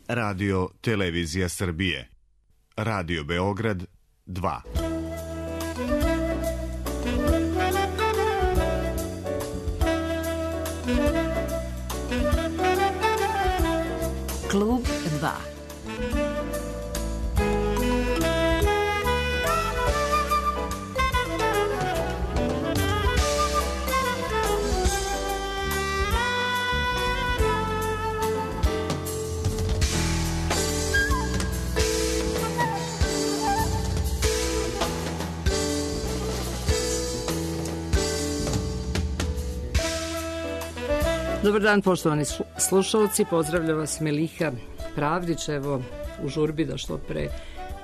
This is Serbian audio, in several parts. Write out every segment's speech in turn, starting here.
Radio Televizija Srbije. Radio Beograd 2. Klub 2. Dobar dan, poštovani slušalci, pozdravlja vas Meliha Pravdić. Evo, u žurbi da što pre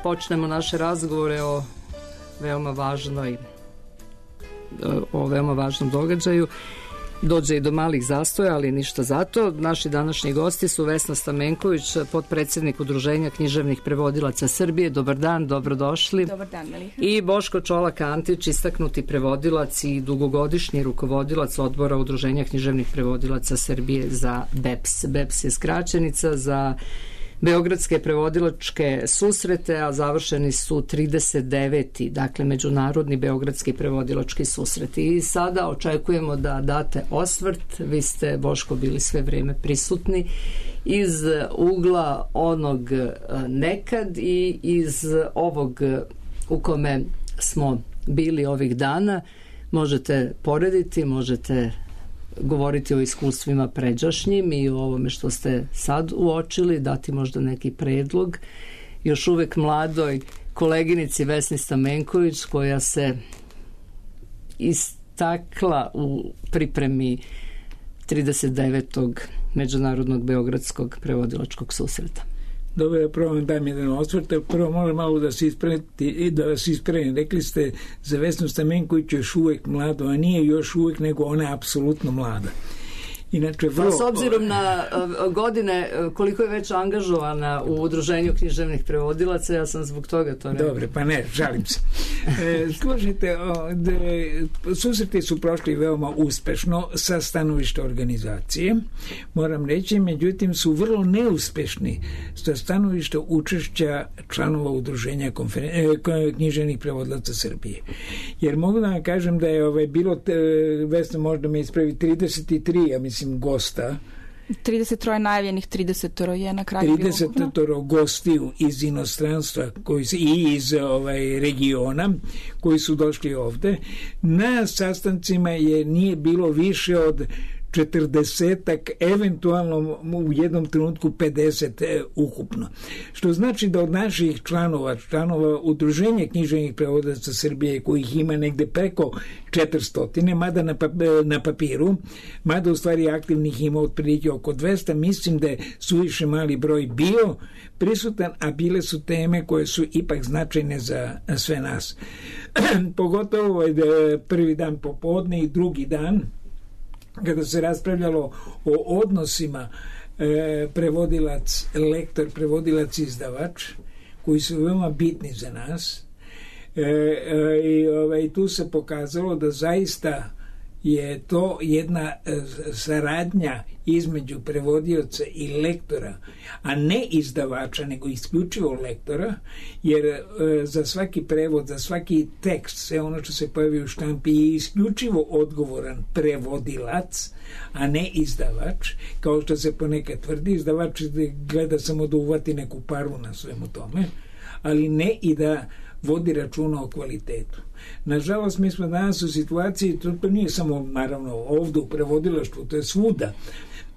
počnemo naše razgovore o veoma važnom događaju. Dođe i do malih zastoja, ali ništa zato. Naši današnji gosti su Vesna Stamenković, potpredsednik Udruženja književnih prevodilaca Srbije. Dobar dan, dobrodošli. Dobar dan, Meliha. I Boško Čolak-Antić, istaknuti prevodilac i dugogodišnji rukovodilac Odbora Udruženja književnih prevodilaca Srbije za BEPS. BEPS je skraćenica za Beogradske prevodilačke susrete, a završeni su 39. dakle Međunarodni beogradski prevodilački susreti. I sada očekujemo da date osvrt. Vi ste, Boško, bili sve vrijeme prisutni iz ugla onog nekad i iz ovog u kome smo bili ovih dana. Možete porediti, možete govoriti o iskustvima pređašnjim i o ovome što ste sad uočili, dati možda neki predlog još uvek mladoj koleginici Vesni Stamenković, koja se istakla u pripremi 39. Međunarodnog beogradskog prevodilačkog susreta. Dobro, prvo vam dam jedan osvrt. Prvo moram malo da vas ispravim. Rekli ste za Vesnu Stamenković još uvek mlado, a nije još uvek, nego ona je apsolutno mlada. Inače, vrlo... S obzirom na godine, koliko je već angažovana u Udruženju književnih prevodilaca, ja sam zbog toga to rekao. Dobre, pa ne, žalim se. Slušajte, susreti su prošli veoma uspešno sa stanovišta organizacije, moram reći, međutim su vrlo neuspešni sa stanovišta učešća članova Udruženja književnih prevodilaca Srbije. Jer mogu da vam kažem da je bilo, Vesna možda me ispravi, 33, ja mislim, gosta. 33 najavljenih, 30 je na kraju 30 gostiju iz inostranstva i iz regiona koji su došli ovde. Na sastancima nije bilo više od 40-ak, eventualno u jednom trenutku 50 ukupno. Što znači da od naših članova Udruženja književnih prevodilaca Srbije, kojih ima negde preko 400, mada na papiru, mada u stvari aktivnih ima otprilike oko 200, mislim da je suviše mali broj bio prisutan, a bile su teme koje su ipak značajne za sve nas. Pogotovo prvi dan popodne i drugi dan, kada se raspravljalo o odnosima prevodilac, lektor, prevodilac, izdavač, koji su veoma bitni za nas. I tu se pokazalo da zaista je to jedna saradnja između prevodioca i lektora, a ne izdavača, nego isključivo lektora, jer za svaki prevod, za svaki tekst, sve ono što se pojavi u štampi je isključivo odgovoran prevodilac, a ne izdavač, kao što se ponekad tvrdi. Izdavač gleda samo da uvati neku paru na svemu tome, ali ne i da vodi računa o kvalitetu. Nažalost, mi smo danas u situaciji, to nije samo naravno ovdje u prevodilaštvu, to je svuda,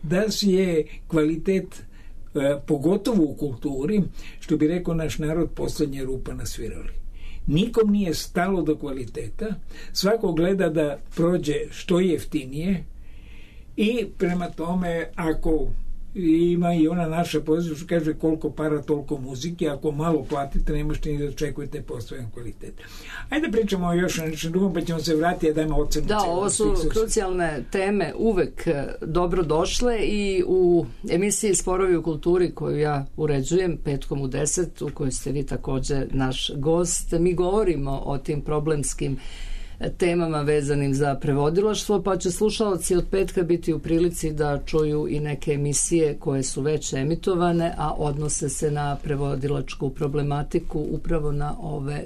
da si je kvalitet, pogotovo u kulturi, što bi rekao naš narod, poslednja rupa na svirali. Nikom nije stalo do kvaliteta, svako gleda da prođe što jeftinije i prema tome, ako ima i ona naša pozicija što kaže koliko para toliko muzike, ako malo platite ne možete ni da očekujete postojan kvalitet. Ajde pričamo još o nešto drugom, pa ćemo se vratiti da dajemo ocenu. Da, ovo su krucijalne teme, uvek dobro došle i u emisiji Sporovi u kulturi koju ja uređujem petkom u 10, u kojoj ste vi takođe naš gost, mi govorimo o tim problemskim temama vezanim za prevodilaštvo, pa će slušalci od petka biti u prilici da čuju i neke emisije koje su već emitovane, a odnose se na prevodilačku problematiku, upravo na ove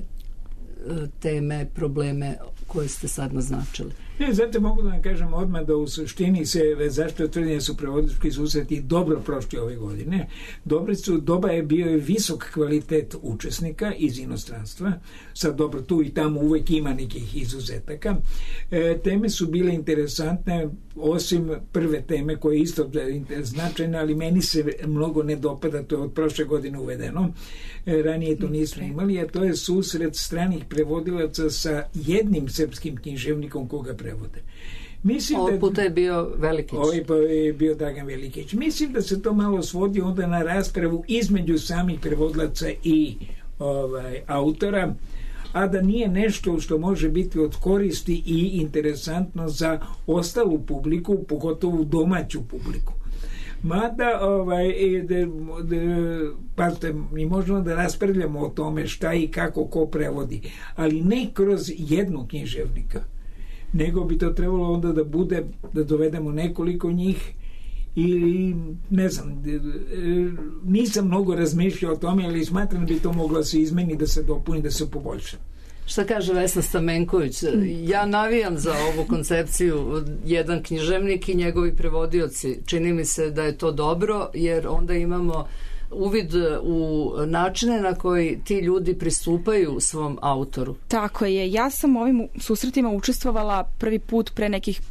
teme, probleme koje ste sad naznačili. Zato mogu da vam kažem odmah da u suštini se zašto tvrdim su prevodilački susreti dobro prošli ove godine. Doba je bio visok kvalitet učesnika iz inostranstva. Sad dobro, tu i tamo uvek ima nekih izuzetaka. Teme su bile interesantne, osim prve teme koja je isto značajna, ali meni se mnogo ne dopada, to je od prošle godine uvedeno. Ranije to nismo imali, a to je susret stranih prevodilaca sa jednim srpskim književnikom koga prevode. Ovog puta je bio Velikić. Je bio Dragan Velikić. Mislim da se to malo svodi onda na raspravu između samih prevodilaca i autora, a da nije nešto što može biti od koristi i interesantno za ostalu publiku, pogotovo domaću publiku. Mada, pazite, mi možemo da raspravljamo o tome šta i kako ko prevodi, ali ne kroz jednog književnika, nego bi to trebalo onda da bude, da dovedemo nekoliko njih ili, ne znam, nisam mnogo razmišljao o tome, ali smatram da bi to moglo se izmeni, da se dopuni, da se poboljša. Šta kaže Vesna Stamenković? Ja navijam za ovu koncepciju jedan književnik i njegovi prevodioci. Čini mi se da je to dobro, jer onda imamo uvid u načine na koji ti ljudi pristupaju svom autoru. Tako je. Ja sam u ovim susretima učestvovala prvi put pre nekih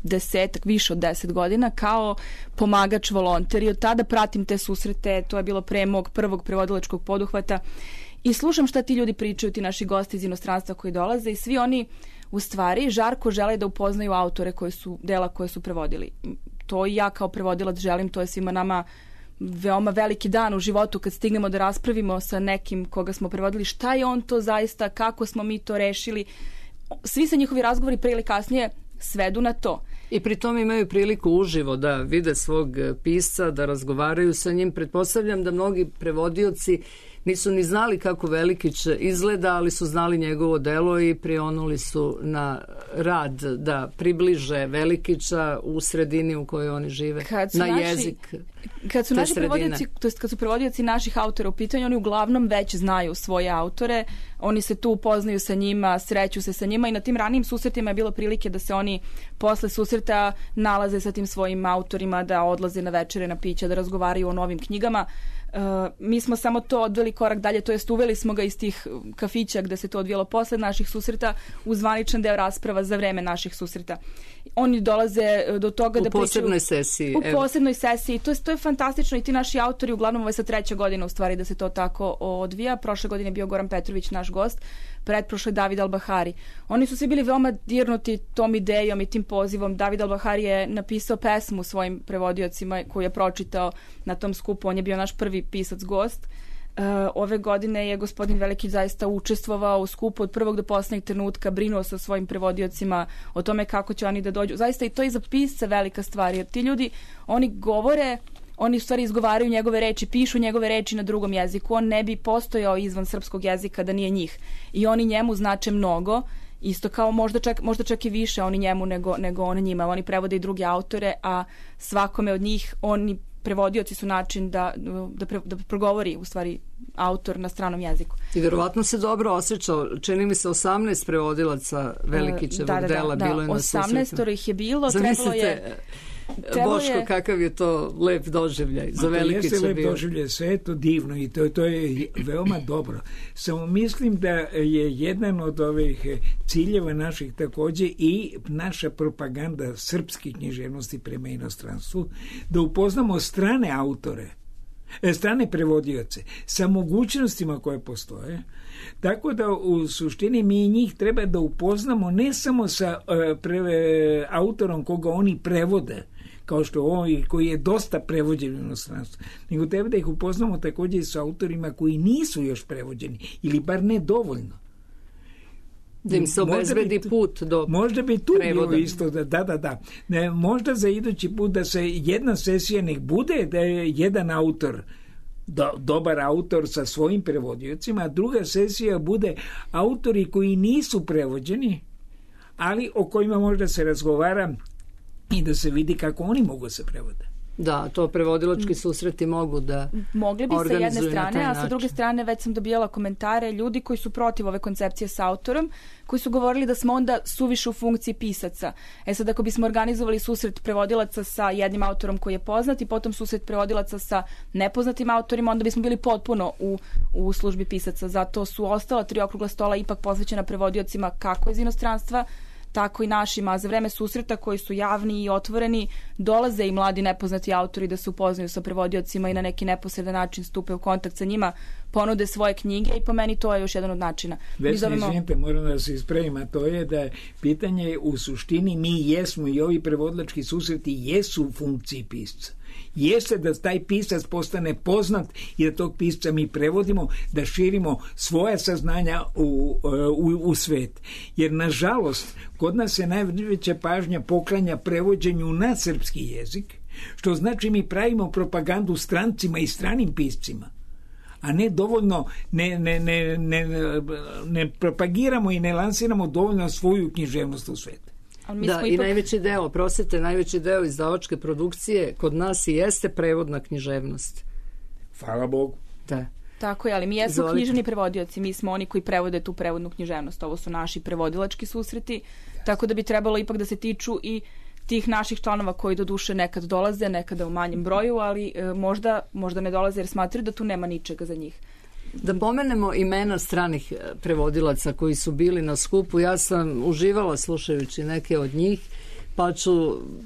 više od 10 godina kao pomagač volonter i od tada pratim te susrete. To je bilo pre mog prvog prevodilačkog poduhvata. I slušam šta ti ljudi pričaju, ti naši gosti iz inostranstva koji dolaze i svi oni u stvari žarko žele da upoznaju autore dela koje su prevodili. To i ja kao prevodilac želim, to je svima nama veoma veliki dan u životu kad stignemo da raspravimo sa nekim koga smo prevodili, šta je on to zaista, kako smo mi to rešili. Svi se njihovi razgovori pre ili kasnije svedu na to. I pri tom imaju priliku uživo da vide svog pisca, da razgovaraju sa njim. Pretpostavljam da mnogi prevodioci nisu ni znali kako Velikić izgleda, ali su znali njegovo delo i prionuli su na rad da približe Velikića u sredini u kojoj oni žive, na jezik. Kad su naši prevodioci, to jest kad su prevodioci naših autora u pitanju, oni uglavnom već znaju svoje autore, oni se tu upoznaju sa njima, sreću se sa njima i na tim ranijim susretima je bilo prilike da se oni posle susreta nalaze sa tim svojim autorima, da odlaze na večere, na pića, da razgovaraju o novim knjigama. Mi smo samo to odveli korak dalje, to jest uveli smo ga iz tih kafića gde se to odvijalo posle naših susreta u zvaničan deo rasprava za vreme naših susreta. Oni dolaze do toga da pričaju u posebnoj sesiji. To je fantastično i ti naši autori, uglavnom ovo je sad 3. godina u stvari da se to tako odvija. Prošle godine je bio Goran Petrović naš gost, pretprošle David Albahari. Oni su svi bili veoma dirnuti tom idejom i tim pozivom. David Albahari je napisao pesmu svojim prevodiocima koju je pročitao na tom skupu. On je bio naš prvi pisac gost. Ove godine je gospodin Velikić zaista učestvovao u skupu od prvog do poslednjeg trenutka, brinuo se o svojim prevodiocima, o tome kako će oni da dođu. Zaista i to je za pisca velika stvar, jer ti ljudi, oni govore, oni u stvari izgovaraju njegove reči, pišu njegove reči na drugom jeziku. On ne bi postojao izvan srpskog jezika da nije njih. I oni njemu znače mnogo, isto kao možda čak i više oni njemu nego on njima. Oni prevode i druge autore, a svakome od njih oni prevodioci su način da progovori u stvari autor na stranom jeziku. I verovatno se dobro osjećao. Čini mi se 18 prevodilaca Velikićevog dela bilo je na susretu. 18 ih je bilo. Zamislite, Boško, kakav je to lep doživljaj za Velikića bio. Jeste lep doživljaj, sve je to divno i to je veoma dobro. Samo mislim da je jedan od ovih ciljeva naših takođe i naša propaganda srpske književnosti prema inostranstvu, da upoznamo strane autore, strane prevodioce sa mogućnostima koje postoje, tako da u suštini mi njih treba da upoznamo ne samo sa autorom koga oni prevode, kao što on koji je dosta prevođen u inostranstvu, nego treba da ih upoznamo takođe i sa autorima koji nisu još prevođeni ili bar ne dovoljno. Da im se obezbedi put do možda bi tu prevoda. Bilo isto, da. Možda za idući put da se jedna sesija nek bude da je jedan autor, dobar autor sa svojim prevodiocima, a druga sesija bude autori koji nisu prevođeni, ali o kojima možda se razgovara i da se vidi kako oni mogu se prevode. Da, to prevodilački susreti mogu da mogli bi sa jedne strane, a sa druge strane već sam dobijala komentare ljudi koji su protiv ove koncepcije sa autorom, koji su govorili da smo onda suviše u funkciji pisaca. Sad, ako bismo organizovali susret prevodilaca sa jednim autorom koji je poznat i potom susret prevodilaca sa nepoznatim autorima, onda bismo bili potpuno u službi pisaca. Zato su ostala 3 okrugla stola ipak posvećena prevodiocima kako iz inostranstva, tako i našima, a za vreme susreta koji su javni i otvoreni, dolaze i mladi nepoznati autori da se upoznaju sa prevodiocima i na neki neposredan način stupe u kontakt sa njima, ponude svoje knjige i po meni to je još jedan od načina. Izvinite, moram da se ispravim, a to je da pitanje u suštini mi jesmo i ovi prevodilački susreti jesu u funkciji pisca. Jeste da taj pisac postane poznat i da tog pisca mi prevodimo, da širimo svoja saznanja u svet. Jer, nažalost, kod nas se najveća pažnja poklanja prevođenju na srpski jezik, što znači mi pravimo propagandu strancima i stranim piscima, a ne dovoljno ne propagiramo i ne lansiramo dovoljno svoju književnost u svet. Da, i najveći deo izdavačke produkcije kod nas i jeste prevodna književnost. Hvala Bogu. Da. Tako je, ali mi jesmo književni prevodioci, mi smo oni koji prevode tu prevodnu književnost, ovo su naši prevodilački susreti, tako da bi trebalo ipak da se tiču i tih naših članova koji do duše nekad dolaze, nekada u manjem broju, ali možda ne dolaze jer smatraju da tu nema ničega za njih. Da pomenemo imena stranih prevodilaca koji su bili na skupu. Ja sam uživala slušajući neke od njih, pa ću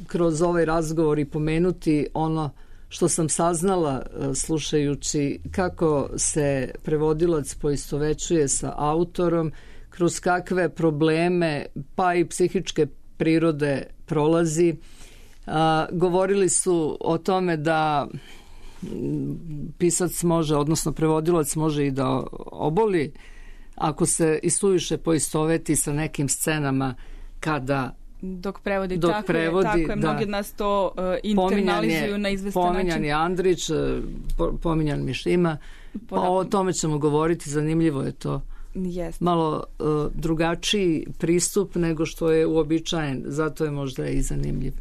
kroz ovaj razgovor i pomenuti ono što sam saznala slušajući kako se prevodilac poistovećuje sa autorom, kroz kakve probleme pa i psihičke prirode prolazi. Govorili su o tome da pisac može, odnosno prevodilac može i da oboli ako se i suviše poistoveti sa nekim scenama kada dok prevodi, tako je, mnogi od nas to internalizuju na izvestan način. Pominjan je Andrić, pominjan Mišima, pa o tome ćemo govoriti, zanimljivo je to. Malo drugačiji pristup nego što je uobičajen, zato je možda i zanimljiv.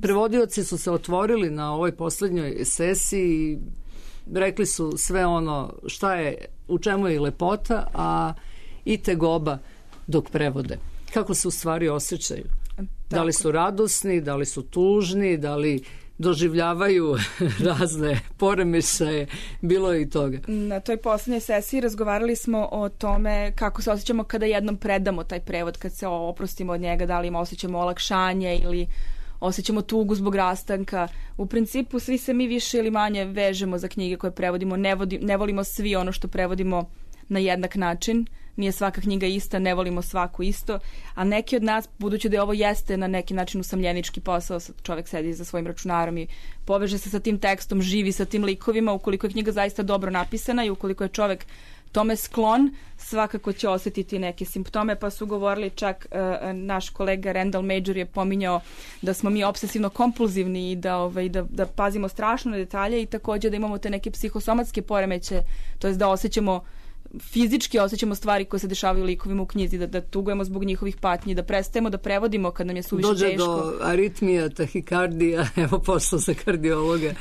Prevodioci su se otvorili na ovoj poslednjoj sesiji i rekli su sve ono šta je, u čemu je lepota, a i tegoba dok prevode. Kako se u stvari osjećaju? Da li su radosni, da li su tužni, da li doživljavaju razne poremećaje, bilo je i toga. Na toj poslednjoj sesiji razgovarali smo o tome kako se osjećamo kada jednom predamo taj prevod, kad se oprostimo od njega, da li osjećamo olakšanje ili osjećamo tugu zbog rastanka. U principu svi se mi više ili manje vežemo za knjige koje prevodimo, ne volimo svi ono što prevodimo na jednak način. Nije svaka knjiga ista, ne volimo svaku isto, a neki od nas, budući da ovo jeste na neki način usamljenički posao, čovjek sedi za svojim računarom i poveže se sa tim tekstom, živi sa tim likovima, ukoliko je knjiga zaista dobro napisana i ukoliko je čovjek tome sklon, svakako će osjetiti neke simptome, pa su govorili čak, naš kolega Randall Major je pominjao da smo mi obsesivno kompulzivni i da pazimo strašno na detalje i također da imamo te neke psihosomatske poremeće, to jest da fizički osjećamo stvari koje se dešavaju likovima u knjizi, da tugujemo zbog njihovih patnji, da prestajemo da prevodimo kad nam je suviše teško. Dođe do aritmija, tahikardija, evo posao za kardiologa.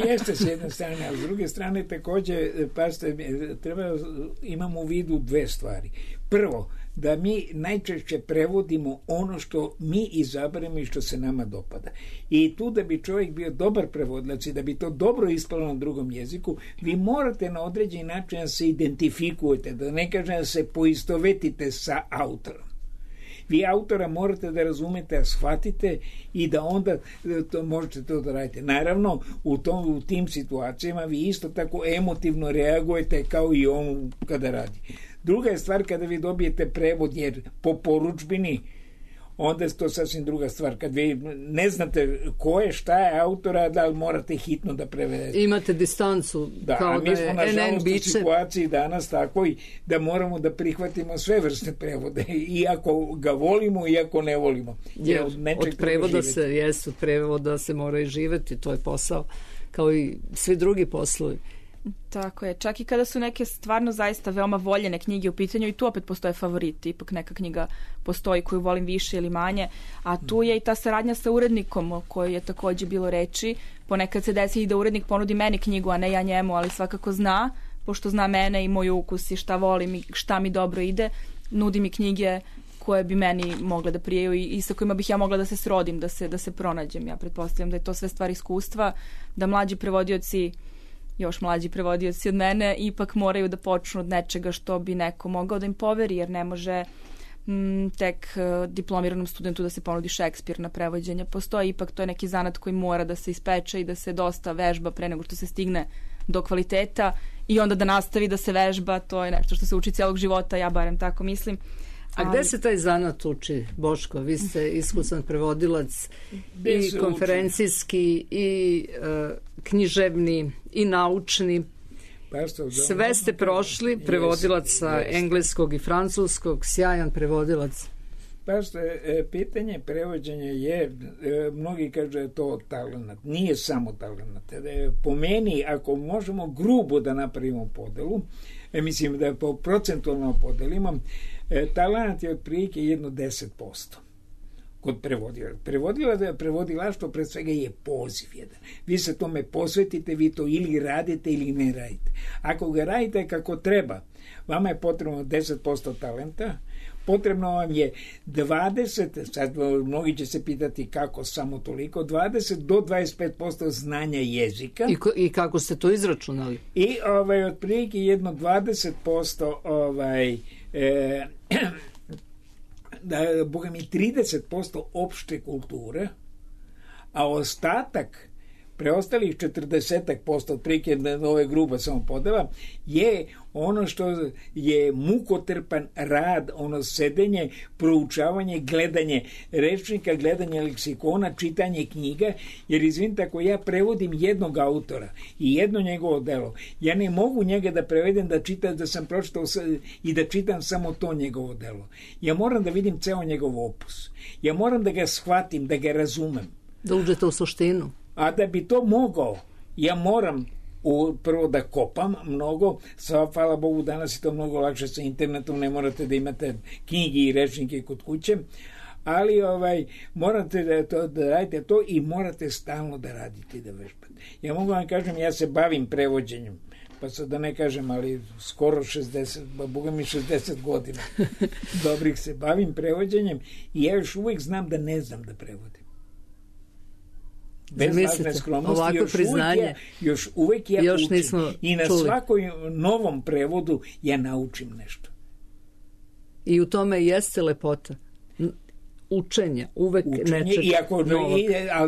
Jeste s jedne strane, a s druge strane također, imamo u vidu 2 stvari. Prvo, da mi najčešće prevodimo ono što mi izaberemo i što se nama dopada. I tu da bi čovjek bio dobar prevodilac i da bi to dobro ispalo na drugom jeziku, vi morate na određeni način da se identifikujete, da ne kažem da se poistovetite sa autorom. Vi autora morate da razumete, da shvatite i da onda možete to da radite. Naravno, u tim situacijama vi isto tako emotivno reagujete kao i on kada radi. Druga je stvar kada vi dobijete prevod, jer po poručbini, onda je to sasvim druga stvar. Kad vi ne znate ko je, šta je autora, da li morate hitno da prevedete. Imate distancu. Da, kao mi smo nažalost u situaciji danas takvoj da moramo da prihvatimo sve vrste prevode. Iako ga volimo, iako ne volimo. Od prevoda se mora i živeti, to je posao, kao i svi drugi poslovi. Tako je, čak i kada su neke stvarno zaista veoma voljene knjige u pitanju i tu opet postoje favoriti, ipak neka knjiga postoji koju volim više ili manje, a tu je i ta saradnja sa urednikom o kojoj je takođe bilo reči. Ponekad se desi i da urednik ponudi meni knjigu, a ne ja njemu, ali svakako zna, pošto zna mene i moj ukus i šta volim i šta mi dobro ide, nudi mi knjige koje bi meni mogle da prijaju i sa kojima bih ja mogla da se srodim, da se pronađem. Ja pretpostavljam da je to sve stvar iskustva, da mlađi prevodioci, još mlađi prevodioci od mene, ipak moraju da počnu od nečega što bi neko mogao da im poveri, jer ne može tek diplomiranom studentu da se ponudi Šekspir na prevođenje. Postoji ipak, to je neki zanat koji mora da se ispeče i da se dosta vežba pre nego što se stigne do kvaliteta i onda da nastavi da se vežba, to je nešto što se uči cijelog života, ja barem tako mislim. A gde se taj zanat uči, Boško? Vi ste iskusan prevodilac i konferencijski i književni i naučni. Sve ste prošli, prevodilac sa engleskog i francuskog, sjajan prevodilac. Pitanje prevođenja je, mnogi kažu da je to talenat. Nije samo talenat. Po meni, ako možemo grubo da napravimo podelu, mislim da po procentualno podelimo, talenat je otprilike jedno 10% kod prevodilaštvo pred svega je poziv jedan. Vi se tome posvetite, vi to ili radite ili ne radite. Ako ga radite kako treba, vama je potrebno 10% talenta, potrebno vam je 20, sad mnogi će se pitati kako samo toliko, 20 do 25% znanja jezika. I kako ste to izračunali? I otprilike jedno 20% boga mi 30% opšte kulture, a ostatak, preostalih 40%, otprilike ove gruba samo podela, je ono što je mukotrpan rad, ono sedenje, proučavanje, gledanje rečnika, gledanje leksikona, čitanje knjiga, jer izvinite, ako ja prevodim jednog autora i jedno njegovo delo, ja ne mogu njega da prevedem da čitam, da sam pročitao i da čitam samo to njegovo delo. Ja moram da vidim ceo njegov opus. Ja moram da ga shvatim, da ga razumem. Da uđete u suštinu. A da bi to mogao, ja moram prvo da kopam mnogo, hvala Bogu danas je to mnogo lakše sa internetom, ne morate da imate knjige i rečnike kod kuće, ali morate da radite to i morate stalno da radite i da vežbate. Ja mogu vam kažem, ja se bavim prevođenjem, pa sad da ne kažem, ali skoro 60, boga mi 60 godina dobrih se bavim prevođenjem i ja još uvijek znam da ne znam da prevodim. Bez lažne skromnosti, još uvek ja učim i na svakoj novom prevodu ja naučim nešto. I u tome jeste lepota učenja, uvek nečega novog.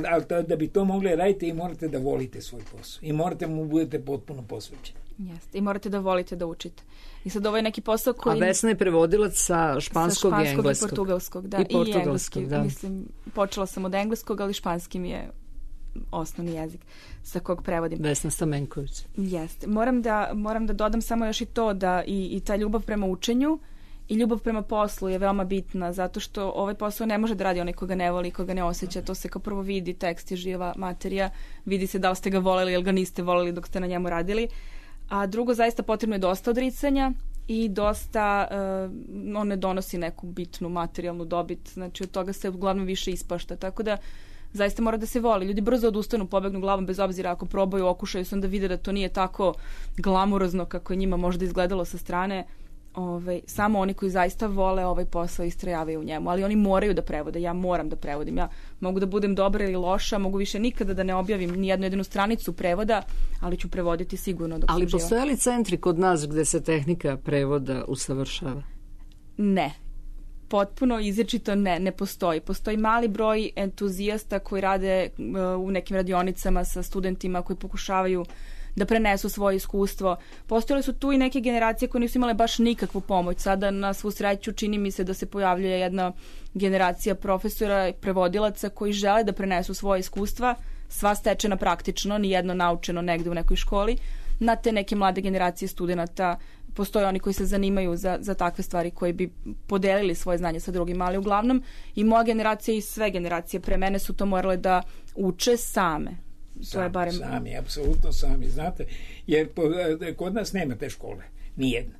Ali da bi to mogli raditi i morate da volite svoj posao i morate mu budete potpuno posvećeni. Jeste, i morate da volite da učite. I sad ovo je neki posao koji... A Vesna je prevodilac sa španskog i engleskog. I portugalskog, da. I engleskog, da. Mislim, počela sam od engleskog, ali španski mi je osnovni jezik sa kog prevodim. Vesna Stamenković. Jeste. Moram da dodam samo još i to da i ta ljubav prema učenju i ljubav prema poslu je veoma bitna, zato što ovaj posao ne može da radi onaj koga ne voli, koga ne osjeća. To se kao prvo vidi, tekst je živa materija, vidi se da li ste ga voleli ili ga niste voleli dok ste na njemu radili. A drugo, zaista potrebno je dosta odricanja i dosta, on ne donosi neku bitnu materijalnu dobit, znači od toga se uglavnom više ispašta, tako da zaista mora da se voli. Ljudi brzo odustanu, pobegnu glavom bez obzira ako probaju, okušaju se, onda vide da to nije tako glamurozno kako je njima možda izgledalo sa strane. Samo oni koji zaista vole ovaj posao istrajavaju u njemu, ali oni moraju da prevode, ja moram da prevodim, ja mogu da budem dobra ili loša, mogu više nikada da ne objavim ni jednu jedinu stranicu prevoda, ali ću prevoditi sigurno dok sam živa. Ali postoje li centri kod nas gde se tehnika prevoda usavršava? Ne. Potpuno izričito ne postoji. Postoji mali broj entuzijasta koji rade u nekim radionicama sa studentima koji pokušavaju da prenesu svoje iskustvo. Postojale su tu i neke generacije koje nisu imale baš nikakvu pomoć. Sada na svu sreću čini mi se da se pojavljuje jedna generacija profesora i prevodilaca koji žele da prenesu svoje iskustva, sva stečena praktično, nijedno naučeno negde u nekoj školi, na te neke mlade generacije studenata. Postoje oni koji se zanimaju za takve stvari, koji bi podelili svoje znanje sa drugima, ali uglavnom i moja generacija i sve generacije pre mene su to morale da uče same. To je barem... Sami, apsolutno sami, znate, jer kod nas nema te škole, nijedne.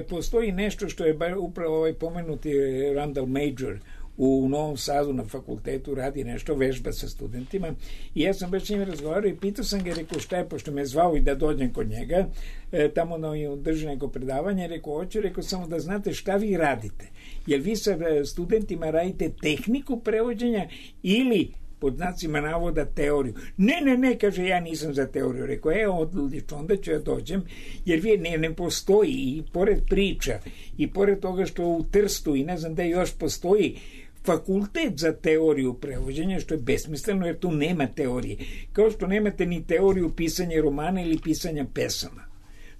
Postoji nešto što je upravo pomenuti Randall Major u Novom Sadu na fakultetu, radi nešto, vežba sa studentima, i ja sam baš s njim razgovarao i pitao sam ga, rekao šta je, pošto me zvao i da dođem kod njega, tamo drži neko predavanje, rekao hoću, rekao samo da znate šta vi radite, jer vi sa studentima radite tehniku prevođenja ili pod znacima navoda teoriju. Ne, kaže, ja nisam za teoriju. Rekao, odlično, onda ću ja dođem, jer ne postoji, i pored priča, i pored toga što u Trstu i ne znam da još postoji fakultet za teoriju prevođenja, što je besmisleno, jer tu nema teorije. Kao što nemate ni teoriju pisanja romana ili pisanja pesama.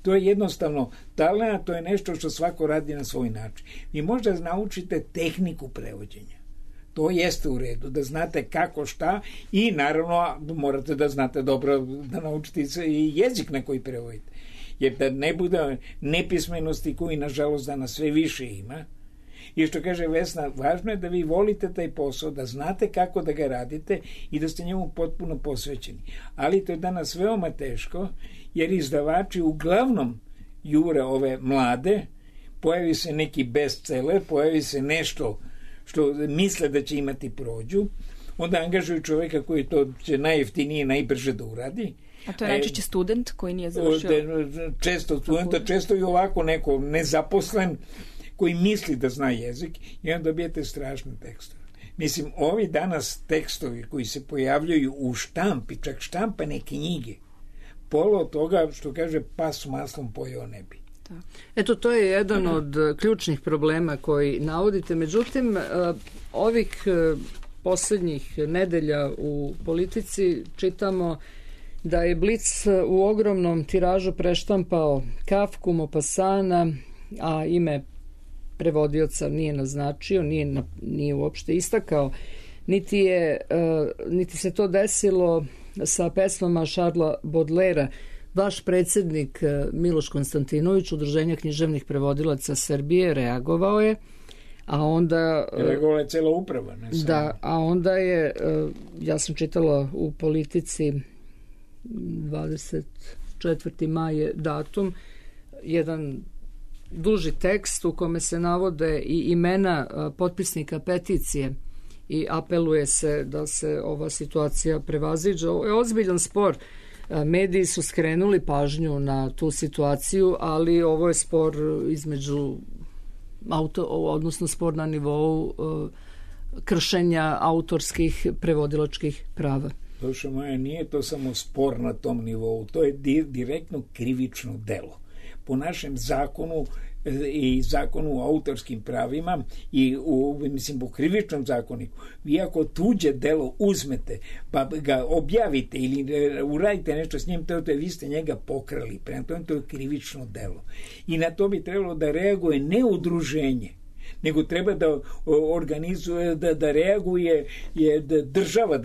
To je jednostavno talent, to je nešto što svako radi na svoj način. Vi možda naučite tehniku prevođenja. To jeste u redu, da znate kako šta, i naravno morate da znate dobro, da naučite i jezik na koji prevodite. Jer da ne bude nepismenosti koji nažalost danas sve više ima. I što kaže Vesna, važno je da vi volite taj posao, da znate kako da ga radite i da ste njemu potpuno posvećeni. Ali to je danas veoma teško, jer izdavači uglavnom jure ove mlade, pojavi se neki bestseller, pojavi se nešto što misle da će imati prođu, onda angažuju čoveka koji to će najjeftinije i najbrže da uradi. A to je najčešće student koji nije završio? Često studenta, često i ovako neko nezaposlen koji misli da zna jezik, i onda dobijete strašne tekstove. Mislim, ovi danas tekstovi koji se pojavljaju u štampi, čak štampane knjige, pola od toga, što kaže, pas maslom pojeo ne bi. Eto, to je jedan od ključnih problema koji navodite. Međutim, ovih posljednjih nedelja u politici čitamo da je Blic u ogromnom tiražu preštampao Kafku, Maupassana, a ime prevodioca nije naznačio, nije uopšte istakao, niti se to desilo sa pesmama Šarla Bodlera. Vaš predsjednik Miloš Konstantinović, Udruženja književnih prevodilaca Srbije, reagovao je, a onda... Reagovala je cela uprava, ne samo. Da, a onda je, ja sam čitala u Politici 24. maj je datum, jedan duži tekst u kome se navode i imena potpisnika peticije i apeluje se da se ova situacija prevaziđe. Ovo je ozbiljan spor. Mediji su skrenuli pažnju na tu situaciju, ali ovo je spor između odnosno spor na nivou kršenja autorskih prevodilačkih prava. Dušo moja, nije to samo spor na tom nivou, to je direktno krivično delo. Po našem zakonu i zakonu o autorskim pravima i u krivičnom zakoniku, vi ako tuđe delo uzmete pa ga objavite ili uradite nešto s njim, to je vi ste njega pokrali, prema tome to je krivično delo. I na to bi trebalo da reaguje ne udruženje, nego treba da organizuje, da reaguje država,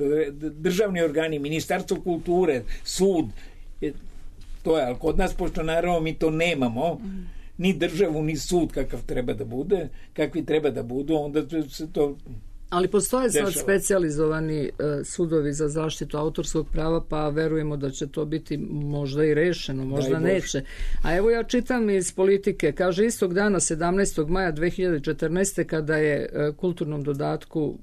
državni organi, Ministarstvo kulture, sud. To je, ali kod nas, pošto naravno mi to nemamo, ni državu, ni sud kakvi treba da budu, onda se to... Ali postoje sad specijalizovani sudovi za zaštitu autorskog prava, pa verujemo da će to biti možda i rešeno, možda neće. A evo ja čitam iz Politike, kaže istog dana 17. maja 2014. kada je kulturnom dodatku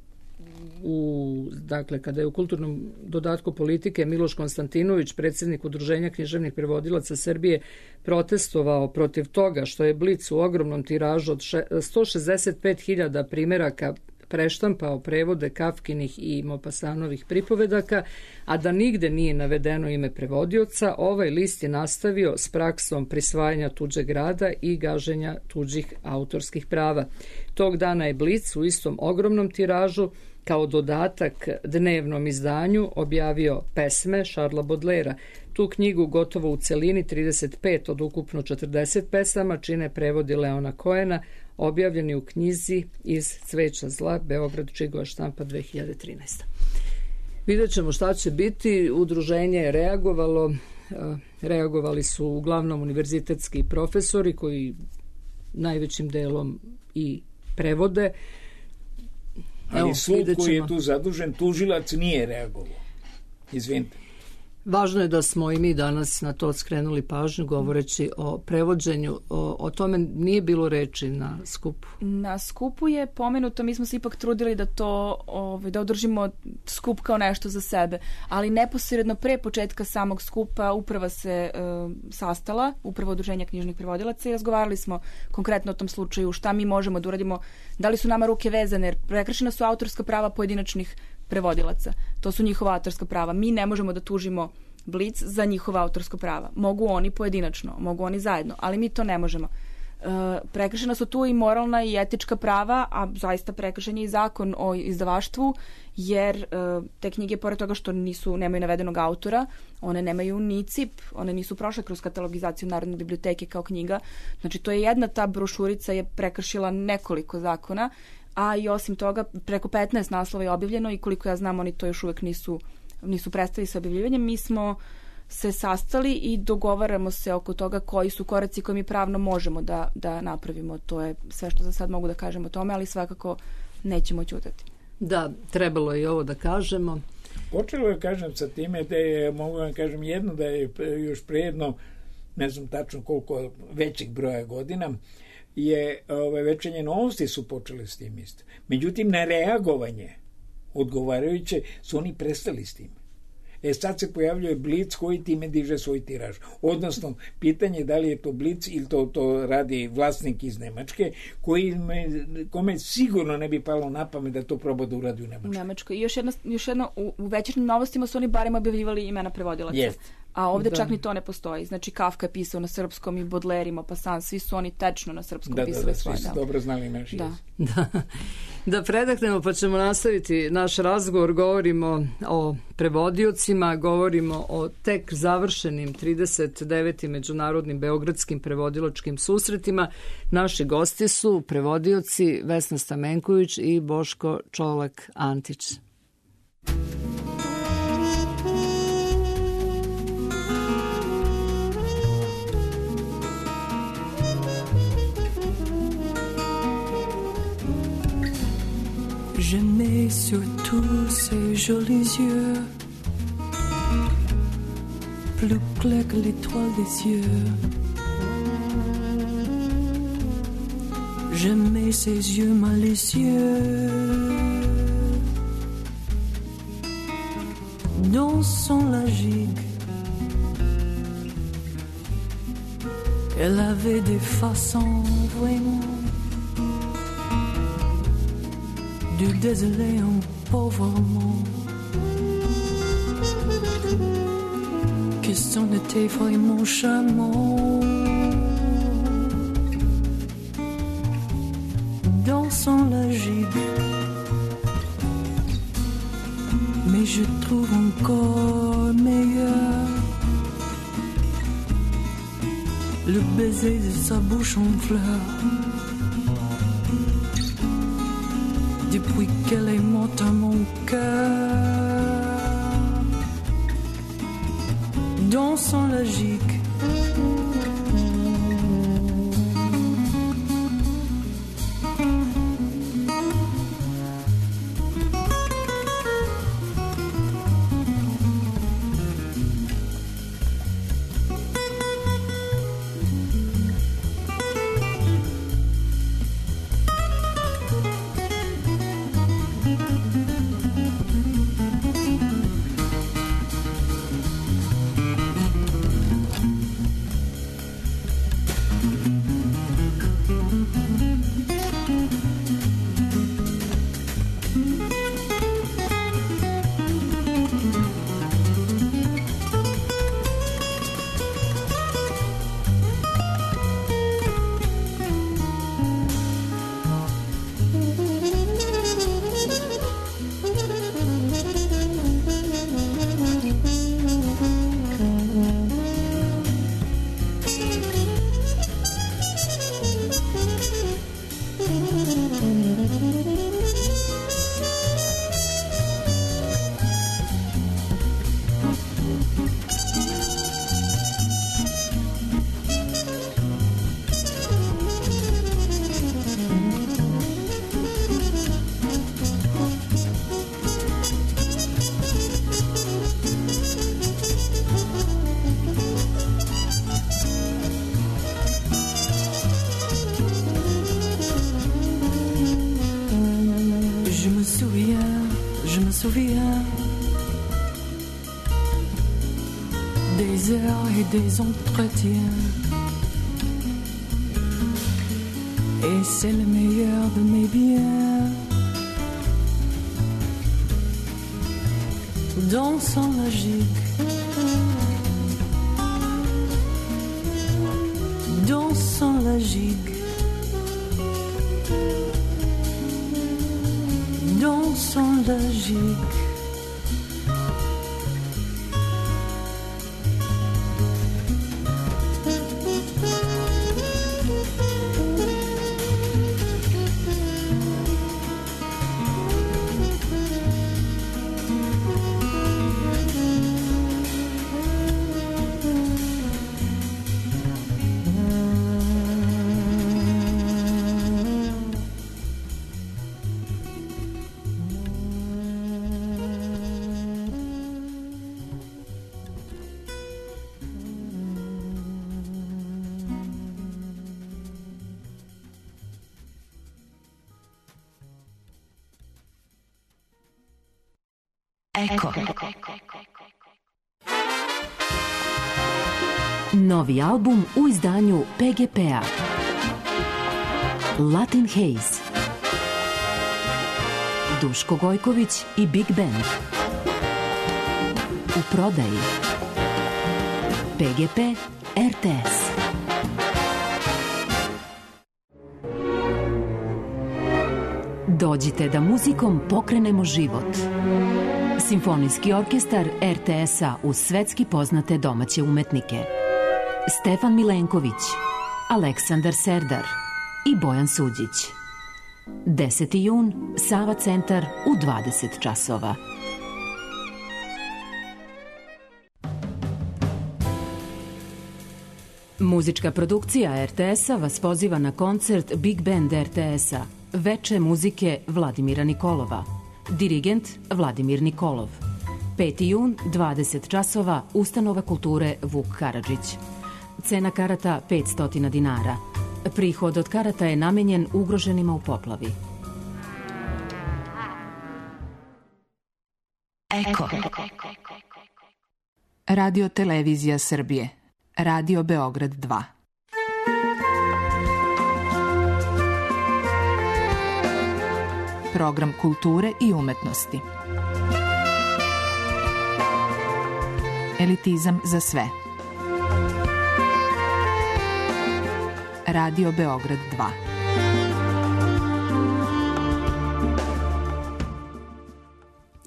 kada je u kulturnom dodatku Politike Miloš Konstantinović, predsjednik Udruženja književnih prevodilaca Srbije, protestovao protiv toga što je Blic u ogromnom tiražu od 165.000 primjeraka preštampao prevode Kafkinih i Maupassanovih pripovedaka, a da nigde nije navedeno ime prevodioca, ovaj list je nastavio s praksom prisvajanja tuđeg rada i gaženja tuđih autorskih prava. Tog dana je Blic u istom ogromnom tiražu kao dodatak dnevnom izdanju objavio pesme Šarla Bodlera. Tu knjigu gotovo u celini 35 od ukupno 40 pesama čine prevodi Leona Koena, objavljeni u knjizi Iz cveća zla, Beograd, Čigova štampa 2013. Vidjet ćemo šta će biti. Udruženje je reagovalo. Reagovali su uglavnom univerzitetski profesori koji najvećim delom i prevode. Ali sud koji je tu zadužen, tužilac nije reagovao. Izvinite. Važno je da smo i mi danas na to skrenuli pažnju govoreći o prevođenju. O tome nije bilo reči na skupu. Na skupu je pomenuto, mi smo se ipak trudili da to, da održimo skup kao nešto za sebe, ali neposredno pre početka samog skupa uprava se sastala, uprava Udruženja književnih prevodilaca, i razgovarali smo konkretno o tom slučaju, šta mi možemo da uradimo, da li su nama ruke vezane, jer prekršena su autorska prava pojedinačnih prevodilaca. To su njihova autorska prava. Mi ne možemo da tužimo Blic za njihova autorska prava. Mogu oni pojedinačno, mogu oni zajedno, ali mi to ne možemo. Prekršena su tu i moralna i etička prava, a zaista prekršen je i zakon o izdavaštvu, jer te knjige, pored toga što nemaju navedenog autora, one nemaju ni CIP, one nisu prošle kroz katalogizaciju Narodne biblioteke kao knjiga. Znači, to je jedna ta brošurica je prekršila nekoliko zakona, a i osim toga preko 15 naslova je objavljeno i koliko ja znam oni to još uvek nisu prestali sa objavljivanjem. Mi smo se sastali i dogovaramo se oko toga koji su koraci koje mi pravno možemo da napravimo. To je sve što za sad mogu da kažem o tome, ali svakako nećemo ćutati. Da, trebalo je i ovo da kažemo. Počelo je, kažem, sa time da je, mogu vam kažem, jedno da je još prijedno, ne znam tačno koliko većih broja godina, je Večernje novosti su počeli s tim isto. Međutim, na reagovanje odgovarajuće su oni prestali s tim. Sad se pojavljuje Blic koji time diže svoj tiraž. Odnosno, pitanje je da li je to Blic ili to radi vlasnik iz Nemačke, kome sigurno ne bi palo na pamet da to proba da uradi u Nemačkoj. I još jedno, u Večernjim novostima su oni barem objavljivali imena prevodilaca. Yes. A ovde čak ni to ne postoji. Znači, Kafka je pisao na srpskom i Baudelaire, Maupassant, svi su oni tečno na srpskom pisali svoje. Svi su dobro znali naši jezik. Da predahnemo, pa ćemo nastaviti naš razgovor. Govorimo o prevodiocima, govorimo o tek završenim 39. međunarodnim beogradskim prevodilačkim susretima. Naši gosti su prevodioci Vesna Stamenković i Boško Čolak-Antić. Je mets sur tous ces jolis yeux, plus clair que l'étoile des cieux. Je mets ces yeux malicieux dans son la gigue. Elle avait des façons vraiment du désolé en pauvrement, que son était vraiment charmant. Dans son logique, mais je trouve encore meilleur le baiser de sa bouche en fleurs. Depuis qu'elle est morte à mon cœur, dans son logique, souviens des heures et des entretiens. Et c'est le meilleur de mes biens. Dansant la gigue, dansant la gigue, dansant la gigue. Eko. Novi album u izdanju PGP-a. Latin Haze. Duško Gojković i Big Band. U prodaji. PGP RTS. Dođite da muzikom pokrenemo život. Simfonijski orkestar RTS-a uz svetski poznate domaće umetnike. Stefan Milenković, Aleksandar Serdar i Bojan Suđić. 10. jun, Sava centar u 20 časova. Muzička produkcija RTS-a vas poziva na koncert Big Band RTS-a, Veče muzike Vladimira Nikolova. Dirigent Vladimir Nikolov. 5. jun, 20 časova, Ustanova kulture Vuk Karadžić. Cena karata 500 dinara. Prihod od karata je namenjen ugroženima u poplavi. Eko. Radio televizija Srbije. Radio Beograd 2. Program kulture i umetnosti. Elitizam za sve. Radio Beograd 2.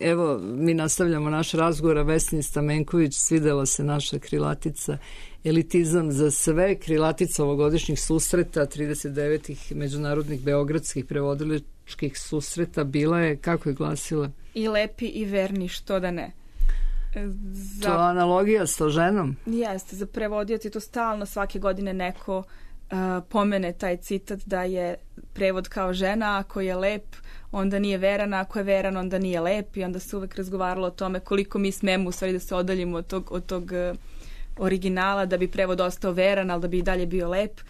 Evo, mi nastavljamo naš razgovor, a Vesni Stamenković, svidela se naša krilatica Elitizam za sve, krilatica ovogodišnjih susreta, 39. međunarodnih beogradskih prevodilačkih susreta, bila je, kako je glasila? I lepi i verni, što da ne. To analogija s to ženom? Jeste, za prevodioci to stalno svake godine neko pomene taj citat da je prevod kao žena, ako je lep onda nije veran, ako je veran onda nije lep, i onda se uvek razgovaralo o tome koliko mi smemo u stvari da se odaljimo od tog originala da bi prevod ostao veran, ali da bi i dalje bio lep,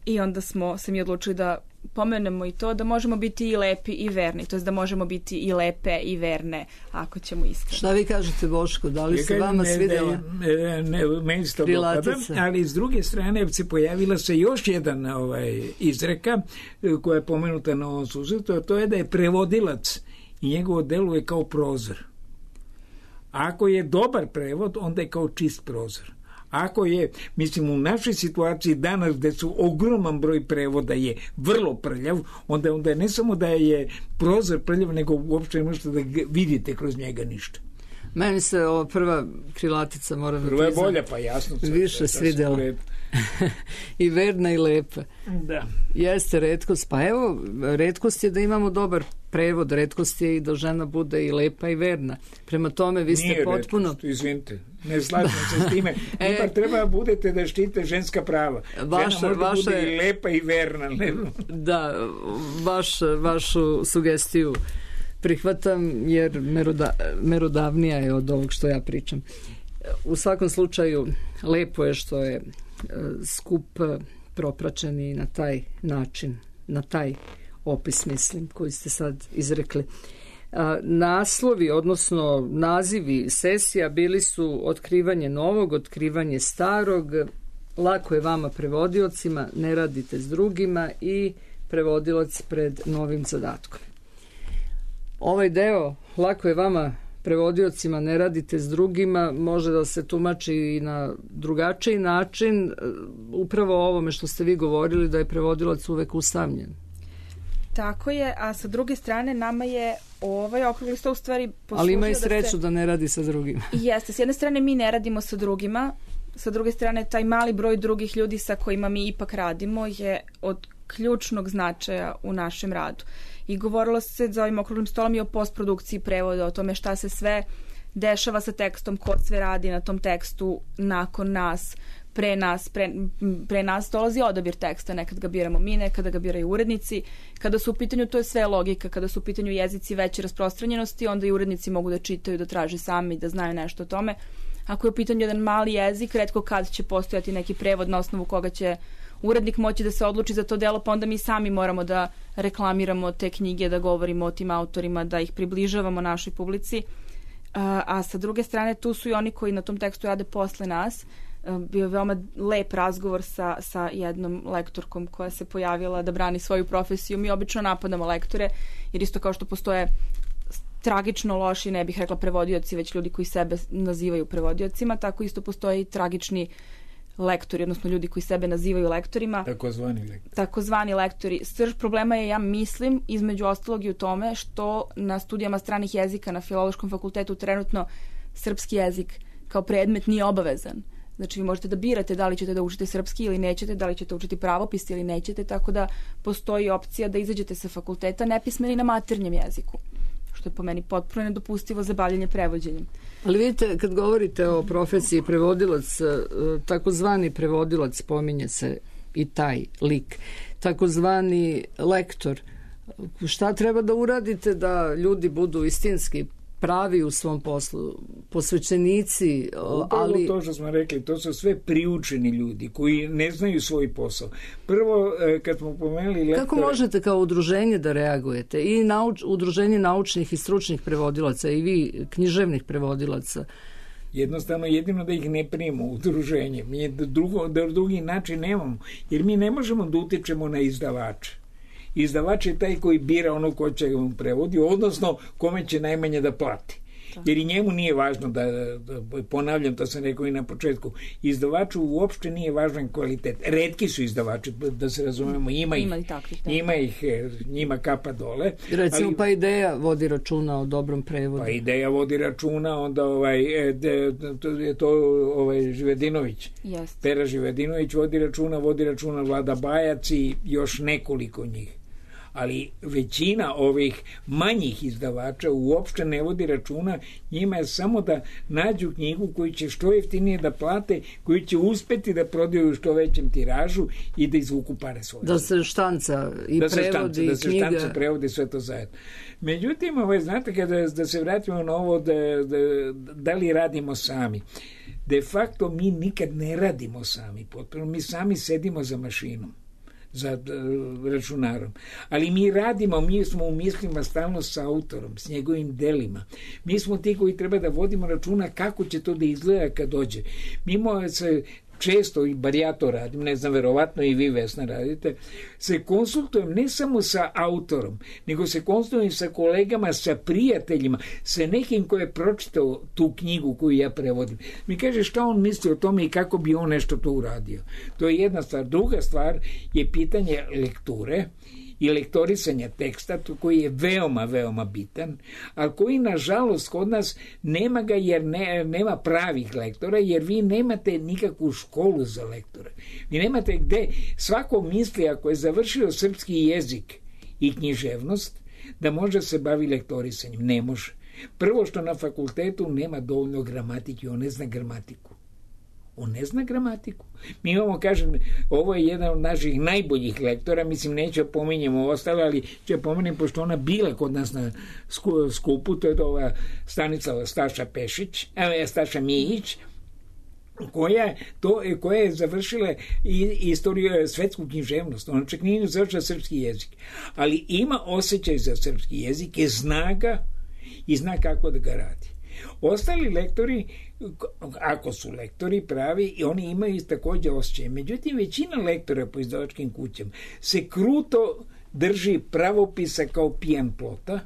i onda smo se mi odlučili da pomenemo i to da možemo biti i lepi i verni, to je da možemo biti i lepe i verne ako ćemo iskreno. Šta vi kažete, Boško, da li se vama svidela krilatica? Ali s druge strane se pojavila se još jedan izreka koja je pomenuta na ovom susretu, a to je da je prevodilac i njegovo delo je kao prozor. Ako je dobar prevod, onda je kao čist prozor. Ako je, mislim, u našoj situaciji danas gde su ogroman broj prevoda je vrlo prljav, onda je ne samo da je prozor prljav, nego uopšte ne možete da vidite kroz njega ništa. Meni se ova prva krilatica, moram da priznam, prva je bolja, pa jasno. Više svidela. I verna i lepa. Da. Jeste retkost. Pa evo, retkost je da imamo dobar prevod, retkost je i da žena bude i lepa i verna. Prema tome, vi ste nije potpuno... Retkost, izvinite. Ne slažem se s time. Ipak treba budete da štite ženska prava. Žena može bude i lepa i verna. Da, vašu sugestiju prihvatam, jer merodavnija je od ovog što ja pričam. U svakom slučaju, lepo je što je skup propraćen i na taj način, na taj opis, mislim, koji ste sad izrekli. Naslovi, odnosno nazivi sesija bili su Otkrivanje novog, Otkrivanje starog, Lako je vama prevodiocima, Ne radite s drugima i Prevodilac pred novim zadatkom. Ovaj deo, Lako je vama prevodiocima, ne radite s drugima, može da se tumači i na drugačiji način, upravo o ovome što ste vi govorili, da je prevodilac uvek usamljen. Tako je, a sa druge strane nama je ovaj okrugli sto u stvari poslužio. Ali ima i sreću da ne radi sa drugima. Jeste, s jedne strane mi ne radimo sa drugima, sa druge strane taj mali broj drugih ljudi sa kojima mi ipak radimo je od ključnog značaja u našem radu. I govorilo se za ovim okruglim stolom i o postprodukciji prevoda, o tome šta se sve dešava sa tekstom, ko sve radi na tom tekstu nakon nas, pre nas dolazi odabir teksta, nekad ga biramo mi, nekada ga biraju urednici. Kada su u pitanju, to je sve logika, kada su u pitanju jezici veće rasprostranjenosti, onda i urednici mogu da čitaju, da traže sami, da znaju nešto o tome. Ako je u pitanju jedan mali jezik, retko kad će postojati neki prevod na osnovu koga će urednik moći da se odluči za to delo, pa onda mi sami moramo da reklamiramo te knjige, da govorimo o tim autorima, da ih približavamo našoj publici. A sa druge strane, tu su i oni koji na tom tekstu rade posle nas. Bio je veoma lep razgovor sa jednom lektorkom koja se pojavila da brani svoju profesiju. Mi obično napadamo lektore, jer isto kao što postoje tragično loši, ne bih rekla prevodioci, već ljudi koji sebe nazivaju prevodiocima, tako isto postoje i tragični lektori, odnosno ljudi koji sebe nazivaju lektorima. Takozvani lektori. Srž problema je, ja mislim, između ostalog i u tome što na studijama stranih jezika na Filološkom fakultetu trenutno srpski jezik kao predmet nije obavezan. Znači vi možete da birate da li ćete da učite srpski ili nećete, da li ćete učiti pravopis ili nećete, tako da postoji opcija da izađete sa fakulteta nepismeni na maternjem jeziku, što je po meni potpuno nedopustivo za bavljenje prevođenjem. Ali vidite, kad govorite o profesiji prevodilac, takozvani prevodilac, spominje se i taj lik, takozvani lektor, šta treba da uradite da ljudi budu istinski pravi u svom poslu, posvećenici, ali... To što smo rekli, to su sve priučeni ljudi koji ne znaju svoj posao. Prvo, kad smo pomenuli lektora... Kako možete kao udruženje da reagujete? I udruženje naučnih i stručnih prevodilaca i vi, književnih prevodilaca? Jednostavno, jedino da ih ne primimo u udruženje. Mi drugi način nemamo, jer mi ne možemo da utičemo na izdavače. Izdavač je taj koji bira ono ko će mu prevodi, odnosno kome će najmanje da plati. Jer i njemu nije važno da ponavljam, to sam rekao i na početku, izdavaču uopšte nije važan kvalitet. Retki su izdavači, da se razumemo, ima ih, njima kapa dole. Recimo, ali, pa Ideja vodi računa o dobrom prevodu. Pa Ideja vodi računa, onda Živedinović. Yes. Pera Živedinović vodi računa Vlada Bajac i još nekoliko njih. Ali većina ovih manjih izdavača uopšte ne vodi računa, njima je samo da nađu knjigu koju će što jeftinije da plate, koju će uspeti da prodaju u što većem tiražu i da izvuku pare svoje. Da se štanca i prevodi da se knjiga. Da se štanca prevodi sve to zajedno. Međutim, znate, da se vratimo na ovo da li radimo sami. De facto mi nikad ne radimo sami, potpuno. Mi sami sedimo za mašinom, za računarom. Ali mi radimo, mi smo u mislima stalno sa autorom, s njegovim delima. Mi smo ti koji treba da vodimo računa kako će to da izgleda kad dođe. Mimo se često, i bar ja to radim, ne znam, verovatno i vi, Vesna, radite, se konsultujem ne samo sa autorom, nego se konsultujem sa kolegama, sa prijateljima, sa nekim ko je pročitao tu knjigu koju ja prevodim. Mi kaže šta on misli o tome i kako bi on nešto to uradio. To je jedna stvar. Druga stvar je pitanje lekture i lektorisanja teksta, koji je veoma, veoma bitan, ali koji, nažalost, kod nas nema ga jer nema pravih lektora, jer vi nemate nikakvu školu za lektore. Vi nemate gde, svako misli, ako je završio srpski jezik i književnost, da može se bavi lektorisanjem. Ne može. Prvo što na fakultetu nema dovoljno gramatike, on ne zna gramatiku. On ne zna gramatiku. Mi imamo, kažem, ovo je jedan od naših najboljih lektora, mislim, neću pominjemo ostale, ali ću pomenem, pošto ona bila kod nas na skupu, to je ova Stanislava Staša Mijić, koja je završila istoriju, svetsku književnost. Ona čak nije završila srpski jezik. Ali ima osjećaj za srpski jezik, je zna ga i zna kako da ga radi. Ostali lektori, ako su lektori pravi, i oni imaju takođe osjećaj. Međutim, većina lektora po izdavačkim kućama se kruto drži pravopisa kao pijan plota,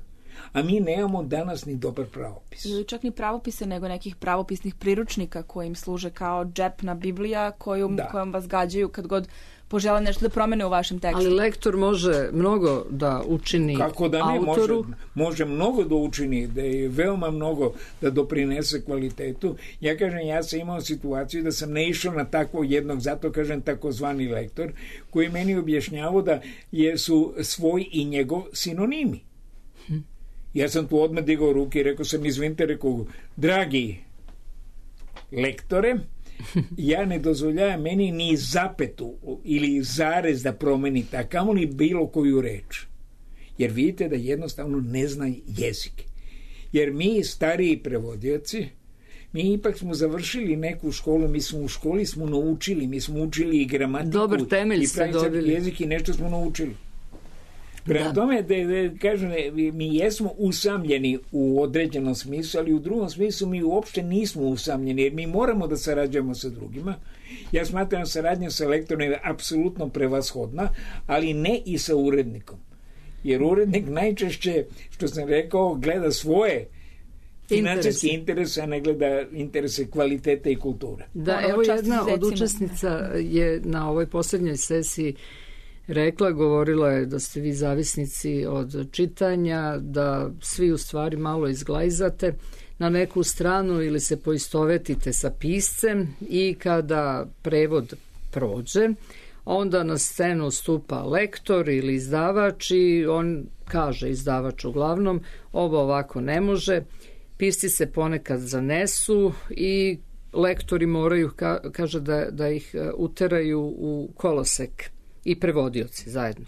a mi nemamo danas ni dobar pravopis. Ili čak ni pravopise, nego nekih pravopisnih priručnika koji im služe kao džepna Biblija kojom vas gađaju kad god požele nešto da promene u vašem tekstu. Ali lektor može mnogo da učini kako da ne, autoru. Može mnogo da učini, da je veoma mnogo da doprinese kvalitetu. Ja kažem, ja sam imao situaciju da sam ne išao na takvog jednog, zato kažem takozvani lektor, koji meni objašnjavao da su svoj i njegov sinonimi. Ja sam tu odmah digao ruke i rekao sam, izvinite, rekao, dragi lektore, ja ne dozvoljavam meni ni zapetu ili zarez da promenite, a kamoli bilo koju reč. Jer vidite da jednostavno ne zna jezik. Jer mi, stariji prevodioci, mi ipak smo završili neku školu, mi smo u školi naučili, mi smo učili i gramatiku, dobar temelj i ste dobili. Jezik i nešto smo naučili. Prema tome, kažem, mi jesmo usamljeni u određenom smislu, ali u drugom smislu mi uopšte nismo usamljeni, jer mi moramo da sarađujemo sa drugima. Ja smatram saradnja sa lektorom je apsolutno prevashodna, ali ne i sa urednikom. Jer urednik najčešće, što sam rekao, gleda svoje financijske interese, a ne gleda interese kvalitete i kulture. Da, evo jedna od učesnica je na ovoj posljednjoj sesiji govorila je da ste vi zavisnici od čitanja, da svi u stvari malo izglajzate na neku stranu ili se poistovetite sa piscem i kada prevod prođe, onda na scenu stupa lektor ili izdavač i on kaže, izdavač uglavnom, ovo ovako ne može, pisci se ponekad zanesu i lektori moraju, kaže da ih uteraju u kolosek i prevodioci zajedno.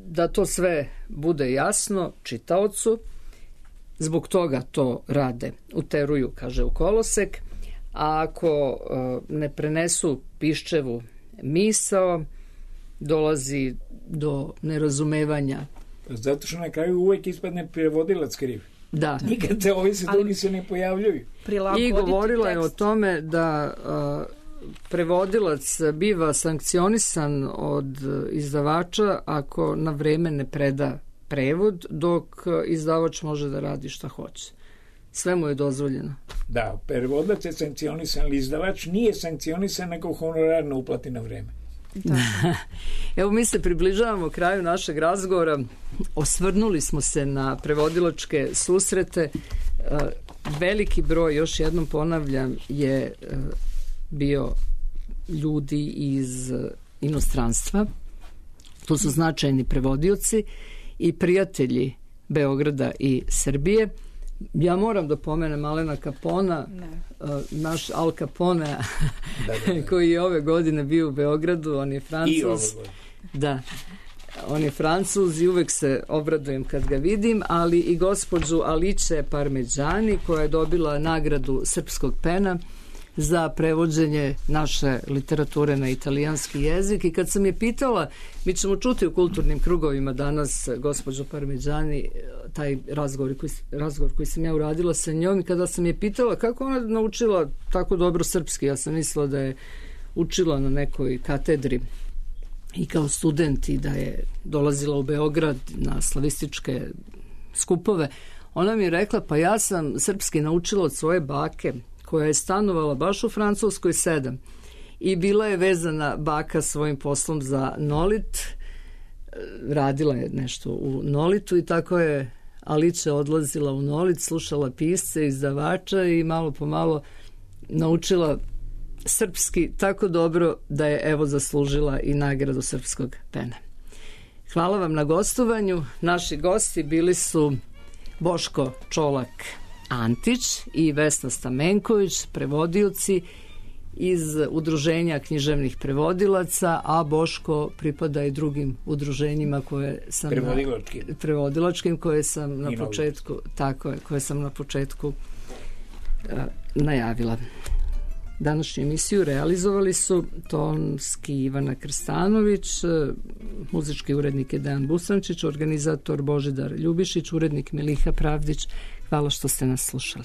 Da to sve bude jasno čitaocu, zbog toga to rade. Uteruju, kaže, u kolosek, a ako ne prenesu piščevu misao, dolazi do nerazumevanja. Zato što na kraju uvek ispadne prevodilac kriv. Da. Nikad se ovi se drugi se ne pojavljuju. I govorila je o tome da prevodilac biva sankcionisan od izdavača ako na vreme ne preda prevod, dok izdavač može da radi šta hoće. Sve mu je dozvoljeno. Da, prevodilac je sankcionisan, ali izdavač nije sankcionisan nego honorar ne uplati na vreme. Da. Evo, mi se približavamo kraju našeg razgovora. Osvrnuli smo se na prevodilačke susrete. Veliki broj, još jednom ponavljam, je bio ljudi iz inostranstva. Tu su značajni prevodioci i prijatelji Beograda i Srbije. Ja moram da pomenem Alena Capona, naš Al Capone, koji je ove godine bio u Beogradu, on je Francuz. Da, on je Francuz i uvek se obradujem kad ga vidim, ali i gospođu Alice Parmeđani, koja je dobila nagradu Srpskog pena za prevođenje naše literature na italijanski jezik. I kad sam je pitala, mi ćemo čuti u kulturnim krugovima danas gospođu Parmeđani, taj razgovor koji sam ja uradila sa njom, i kada sam je pitala kako ona naučila tako dobro srpski, ja sam mislila da je učila na nekoj katedri i kao student i da je dolazila u Beograd na slavističke skupove. Ona mi je rekla, pa ja sam srpski naučila od svoje bake, koja je stanovala baš u Francuskoj 7 i bila je vezana baka svojim poslom za Nolit, radila je nešto u Nolitu i tako je Alice odlazila u Nolit, slušala pisce, izdavača i malo po malo naučila srpski tako dobro da je evo zaslužila i nagradu Srpskog pena. Hvala vam na gostovanju. Naši gosti bili su Boško Čolak Antić i Vesna Stamenković, prevodioci iz Udruženja književnih prevodilaca, a Boško pripada i drugim udruženjima koje sam prevodilačkim koje sam na početku, tako je, koje sam na početku najavila. Današnju emisiju realizovali su tonski Ivana Krstanović, muzički urednik je Dejan Busančić, organizator Božidar Ljubišić, urednik Miliha Pravdić. Hvala što ste nas slušali.